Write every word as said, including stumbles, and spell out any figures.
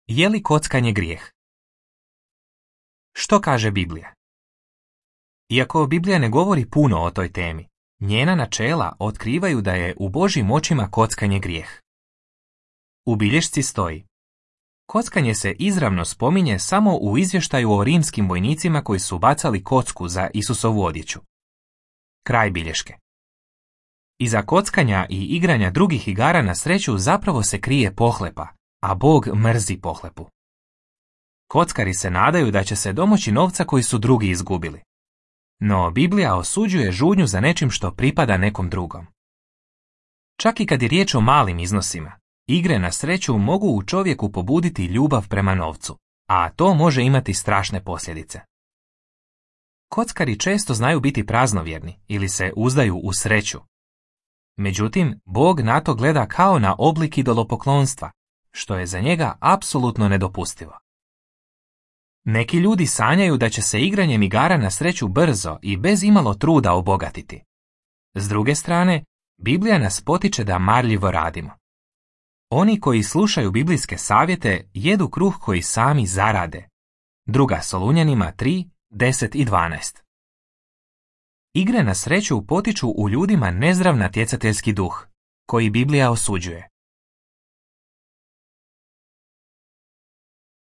Je li kockanje grijeh? Što kaže Biblija? Iako Biblija ne govori puno o toj temi, njena načela otkrivaju da je u Božjim očima kockanje grijeh. U bilješci stoji: kockanje se izravno spominje samo u izvještaju o rimskim vojnicima koji su bacali kocku za Isusovu odjeću. Kraj bilješke. Iza kockanja i igranja drugih igara na sreću zapravo se krije pohlepa, a Bog mrzi pohlepu. Kockari se nadaju da će se domoći novca koji su drugi izgubili. No Biblija osuđuje žudnju za nečim što pripada nekom drugom. Čak i kad je riječ o malim iznosima, igre na sreću mogu u čovjeku pobuditi ljubav prema novcu, a to može imati strašne posljedice. Kockari često znaju biti praznovjerni ili se uzdaju u sreću. Međutim, Bog na to gleda kao na oblik idolopoklonstva, što je za njega apsolutno nedopustivo. Neki ljudi sanjaju da će se igranjem igara na sreću brzo i bez imalo truda obogatiti. S druge strane, Biblija nas potiče da marljivo radimo. Oni koji slušaju biblijske savjete jedu kruh koji sami zarade. Druga Solunjanima tri, deset i dvanaest. Igre na sreću potiču u ljudima nezdrav natjecateljski duh, koji Biblija osuđuje.